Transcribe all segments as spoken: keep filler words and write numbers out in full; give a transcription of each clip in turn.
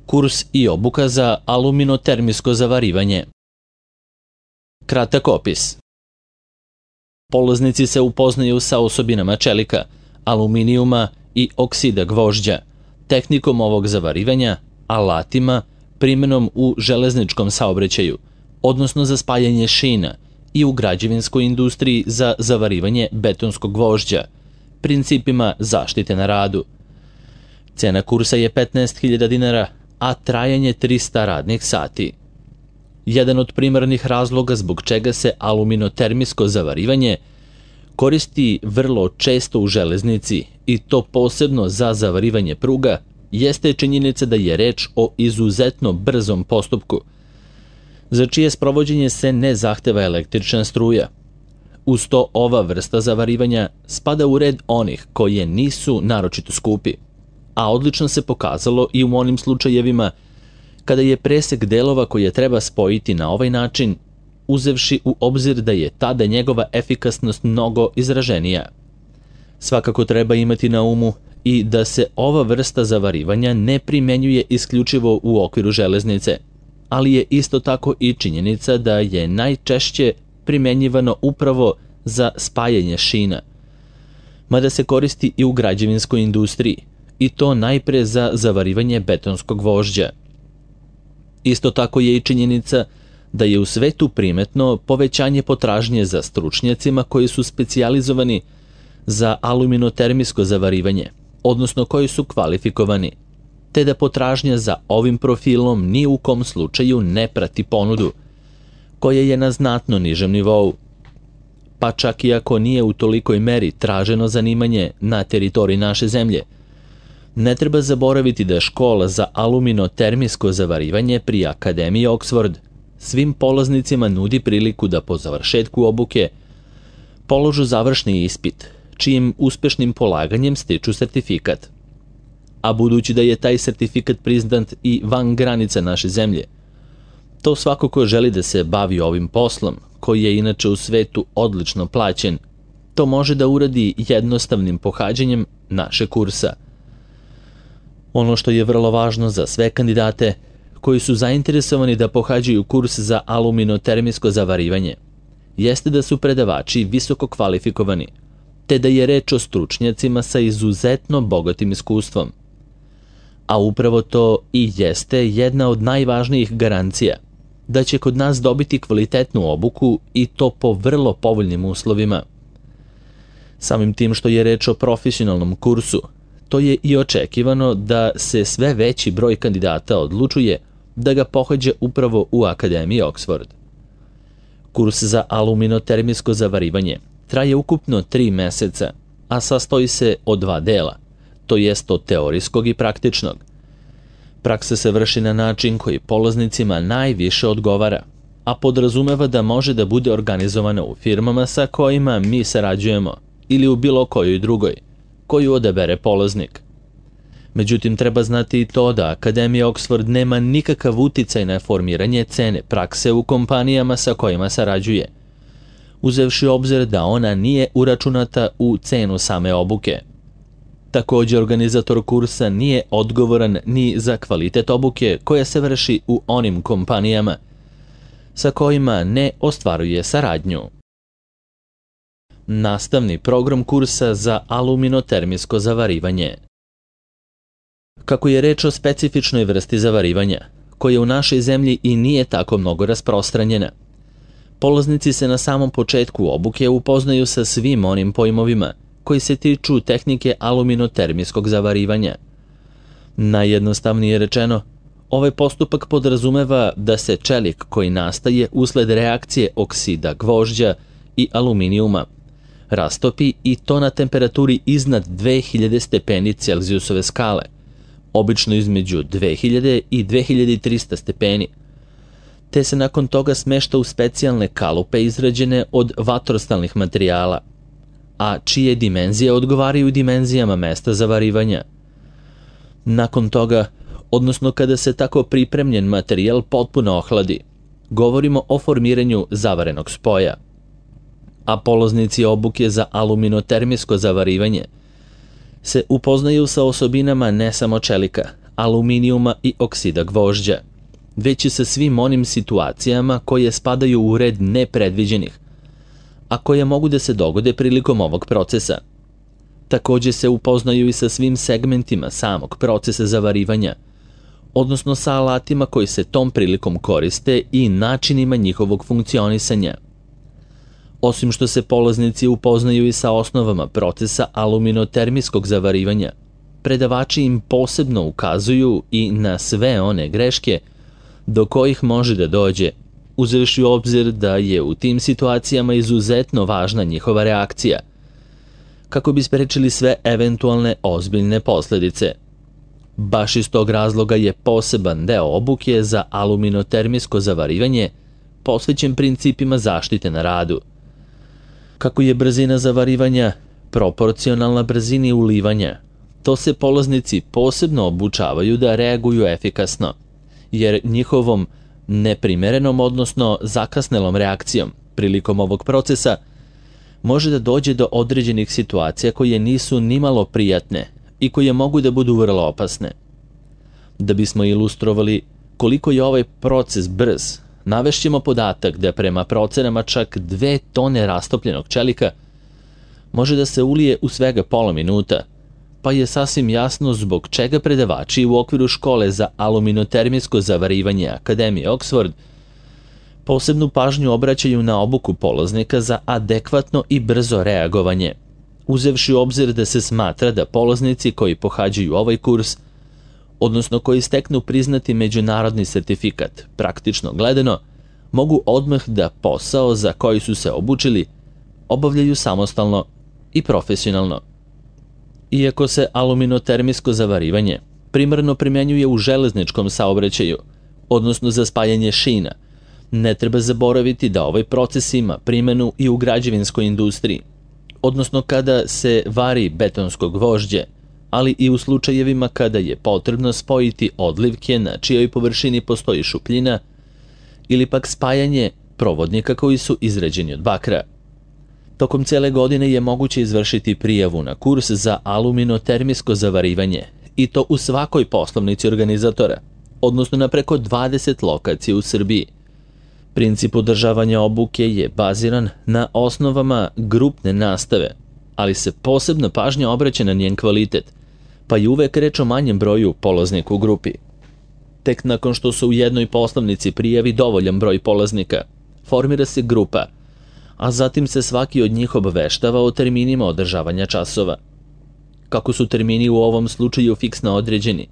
Kurs i obuka za aluminotermijsko zavarivanje. Kratak opis. Polaznici se upoznaju sa osobinama čelika, aluminijuma i oksida gvožđa, tehnikom ovog zavarivanja, alatima, primjenom u železničkom saobraćaju, odnosno za spajanje šina, i u građevinskoj industriji za zavarivanje betonskog gvožđa, principima zaštite na radu. Cena kursa je petnaest hiljada dinara, a trajanje trista radnih sati. Jedan od primarnih razloga zbog čega se aluminotermijsko zavarivanje koristi vrlo često u železnici, i to posebno za zavarivanje pruga, jeste činjenica da je reč o izuzetno brzom postupku, za čije sprovođenje se ne zahteva električna struja. Uz to ova vrsta zavarivanja spada u red onih koje nisu naročito skupi, a odlično se pokazalo i u onim slučajevima kada je presek delova koje treba spojiti na ovaj način, uzevši u obzir da je tada njegova efikasnost mnogo izraženija. Svakako treba imati na umu i da se ova vrsta zavarivanja ne primenjuje isključivo u okviru železnice, ali je isto tako i činjenica da je najčešće primenjivano upravo za spajanje šina, mada se koristi i u građevinskoj industriji, i to najpre za zavarivanje betonskog gvožđa. Isto tako je i činjenica da je u svetu primetno povećanje potražnje za stručnjacima koji su specijalizovani za aluminotermijsko zavarivanje, odnosno koji su kvalifikovani, te da potražnja za ovim profilom ni u kom slučaju ne prati ponudu, koja je na znatno nižem nivou. Pa čak i ako nije u tolikoj meri traženo zanimanje na teritoriji naše zemlje, ne treba zaboraviti da škola za aluminotermijsko zavarivanje pri Akademiji Oxford svim polaznicima nudi priliku da po završetku obuke položu završni ispit, čijim uspešnim polaganjem stiču sertifikat. A budući da je taj sertifikat priznat i van granica naše zemlje, to svako ko želi da se bavi ovim poslom, koji je inače u svetu odlično plaćen, to može da uradi jednostavnim pohađanjem naše kursa. Ono što je vrlo važno za sve kandidate koji su zainteresovani da pohađaju kurs za aluminotermijsko zavarivanje, jeste da su predavači visoko kvalifikovani, te da je reč o stručnjacima sa izuzetno bogatim iskustvom. A upravo to i jeste jedna od najvažnijih garancija da će kod nas dobiti kvalitetnu obuku, i to po vrlo povoljnim uslovima. Samim tim što je reč o profesionalnom kursu, to je i očekivano da se sve veći broj kandidata odlučuje da ga pohađa upravo u Akademiji Oxford. Kurs za aluminotermijsko zavarivanje traje ukupno tri meseca, a sastoji se od dva dela, to jest od teorijskog i praktičnog. Praksa se vrši na način koji polaznicima najviše odgovara, a podrazumeva da može da bude organizovana u firmama sa kojima mi sarađujemo ili u bilo kojoj drugoj, koju odabere polaznik. Međutim, treba znati i to da Akademija Oxford nema nikakav uticaj na formiranje cene prakse u kompanijama sa kojima sarađuje, uzevši obzir da ona nije uračunata u cenu same obuke. Također, organizator kursa nije odgovoran ni za kvalitet obuke koja se vrši u onim kompanijama sa kojima ne ostvaruje saradnju. Nastavni program kursa za aluminotermijsko zavarivanje. Kako je reč o specifičnoj vrsti zavarivanja, koja u našoj zemlji i nije tako mnogo rasprostranjena, polaznici se na samom početku obuke upoznaju sa svim onim pojmovima koji se tiču tehnike aluminotermijskog zavarivanja. Najjednostavnije rečeno, ovaj postupak podrazumeva da se čelik koji nastaje usled reakcije oksida gvožđa i aluminijuma rastopi, i to na temperaturi iznad dve hiljade stepeni Celzijusove skale, obično između dve hiljade i dve hiljade trista stepeni, te se nakon toga smešta u specijalne kalupe izrađene od vatrostalnih materijala, a čije dimenzije odgovaraju dimenzijama mesta zavarivanja. Nakon toga, odnosno kada se tako pripremljen materijal potpuno ohladi, govorimo o formiranju zavarenog spoja. A polaznici obuke za aluminotermijsko zavarivanje se upoznaju sa osobinama ne samo čelika, aluminijuma i oksida gvožđa, već i sa svim onim situacijama koje spadaju u red nepredviđenih, a koje mogu da se dogode prilikom ovog procesa. Takođe se upoznaju i sa svim segmentima samog procesa zavarivanja, odnosno sa alatima koji se tom prilikom koriste i načinima njihovog funkcionisanja. Osim što se polaznici upoznaju i sa osnovama procesa aluminotermijskog zavarivanja, predavači im posebno ukazuju i na sve one greške do kojih može da dođe, uzevši u obzir da je u tim situacijama izuzetno važna njihova reakcija, kako bi sprečili sve eventualne ozbiljne posledice. Baš iz tog razloga je poseban deo obuke za aluminotermijsko zavarivanje posvećen principima zaštite na radu. Kako je brzina zavarivanja proporcionalna brzini ulivanja, to se polaznici posebno obučavaju da reaguju efikasno, jer njihovom neprimerenom, odnosno zakasnelom reakcijom prilikom ovog procesa može da dođe do određenih situacija koje nisu nimalo prijatne i koje mogu da budu vrlo opasne. Da bismo ilustrovali koliko je ovaj proces brz, navešćemo podatak da prema procenama čak dve tone rastopljenog čelika može da se ulije u svega pola minuta, pa je sasvim jasno zbog čega predavači u okviru škole za aluminotermijsko zavarivanje Akademije Oxford posebnu pažnju obraćaju na obuku polaznika za adekvatno i brzo reagovanje, uzevši u obzir da se smatra da polaznici koji pohađaju ovaj kurs, odnosno koji steknu priznati međunarodni sertifikat, praktično gledano, mogu odmah da posao za koji su se obučili obavljaju samostalno i profesionalno. Iako se aluminotermijsko zavarivanje primarno primjenjuje u železničkom saobraćaju, odnosno za spajanje šina, ne treba zaboraviti da ovaj proces ima primjenu i u građevinskoj industriji, odnosno kada se vari betonsko gvožđe, ali i u slučajevima kada je potrebno spojiti odlivke na čijoj površini postoji šupljina ili pak spajanje provodnika koji su izrađeni od bakra. Tokom cele godine je moguće izvršiti prijavu na kurs za aluminotermijsko zavarivanje i to u svakoj poslovnici organizatora, odnosno na preko dvadeset lokacija u Srbiji. Princip održavanja obuke je baziran na osnovama grupne nastave, ali se posebna pažnja obraća na njen kvalitet, pa je uvek reč o manjem broju polaznika u grupi. Tek nakon što se u jednoj poslovnici prijavi dovoljan broj polaznika, formira se grupa, a zatim se svaki od njih obaveštava o terminima održavanja časova. Kako su termini u ovom slučaju fiksno određeni,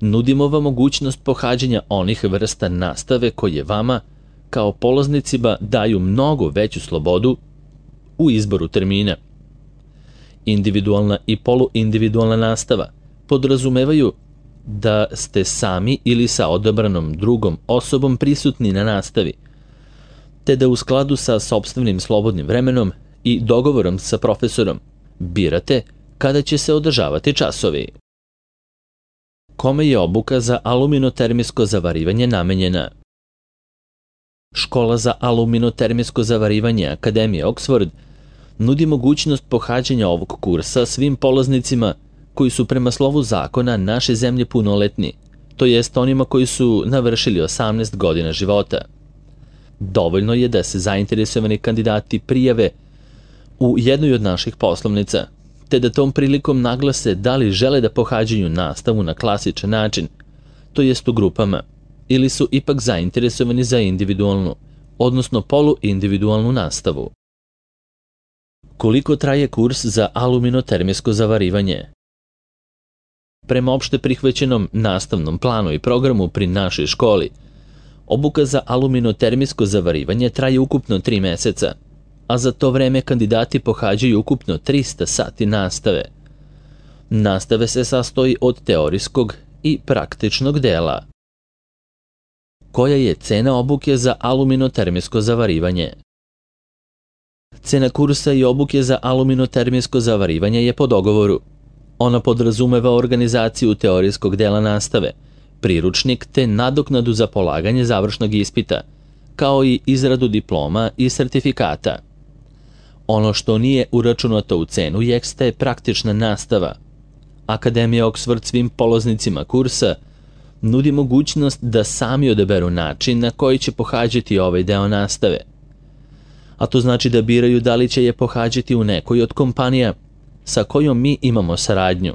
nudimo vam mogućnost pohađanja onih vrsta nastave koje vama, kao polaznicima, daju mnogo veću slobodu u izboru termina. Individualna i poluindividualna nastava podrazumevaju da ste sami ili sa odabranom drugom osobom prisutni na nastavi, te da u skladu sa sopstvenim slobodnim vremenom i dogovorom sa profesorom birate kada će se održavati časovi. Kome je obuka za aluminotermijsko zavarivanje namenjena? Škola za aluminotermijsko zavarivanje Akademije Oxford nudi mogućnost pohađanja ovog kursa svim polaznicima koji su prema slovu zakona naše zemlje punoletni, to jest onima koji su navršili osamnaest godina života. Dovoljno je da se zainteresovani kandidati prijave u jednoj od naših poslovnica, te da tom prilikom naglase da li žele da pohađaju nastavu na klasičan način, to jest u grupama, ili su ipak zainteresovani za individualnu, odnosno poluindividualnu nastavu. Koliko traje kurs za aluminotermijsko zavarivanje? Prema opšte prihvaćenom nastavnom planu i programu pri našoj školi, obuka za aluminotermijsko zavarivanje traje ukupno tri meseca, a za to vreme kandidati pohađaju ukupno trista sati nastave. Nastave se sastoji od teorijskog i praktičnog dela. Koja je cena obuke za aluminotermijsko zavarivanje? Cena kursa i obuke za aluminotermijsko zavarivanje je po dogovoru. Ona podrazumeva organizaciju teorijskog dela nastave, priručnik te nadoknadu za polaganje završnog ispita, kao i izradu diploma i sertifikata. Ono što nije uračunato u cenu jeste praktična nastava. Akademija Oxford svim polaznicima kursa nudi mogućnost da sami odaberu način na koji će pohađati ovaj deo nastave. A to znači da biraju da li će je pohađati u nekoj od kompanija sa kojom mi imamo saradnju,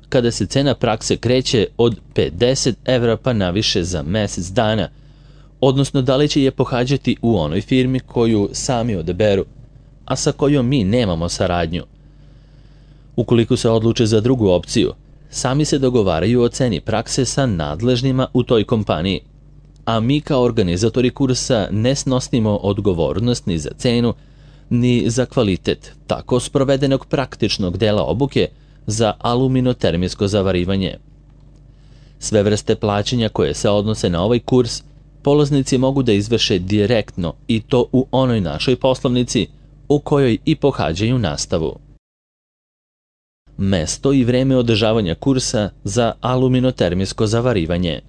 kada se cena prakse kreće od pedeset evra pa naviše za mesec dana, odnosno da li će je pohađati u onoj firmi koju sami odaberu, a sa kojom mi nemamo saradnju. Ukoliko se odluče za drugu opciju, sami se dogovaraju o ceni prakse sa nadležnima u toj kompaniji, a mi kao organizatori kursa ne snosimo odgovornost ni za cenu, ni za kvalitet tako sprovedenog praktičnog dela obuke za aluminotermijsko zavarivanje. Sve vrste plaćanja koje se odnose na ovaj kurs polaznici mogu da izvrše direktno i to u onoj našoj poslovnici u kojoj i pohađaju nastavu. Mesto i vreme održavanja kursa za aluminotermijsko zavarivanje.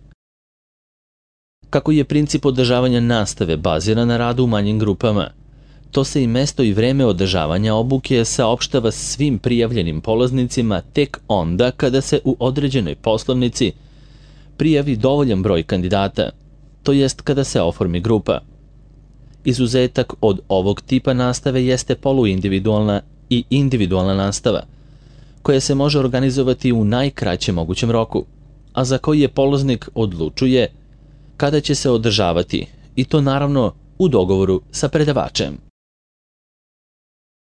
Kako je princip održavanja nastave baziran na radu u manjim grupama, to se i mesto i vreme održavanja obuke saopštava svim prijavljenim polaznicima tek onda kada se u određenoj poslovnici prijavi dovoljan broj kandidata, to jest kada se oformi grupa. Izuzetak od ovog tipa nastave jeste poluindividualna i individualna nastava, koja se može organizovati u najkraćem mogućem roku, a za koji je polaznik odlučuje kada će se održavati, i to naravno u dogovoru sa predavačem.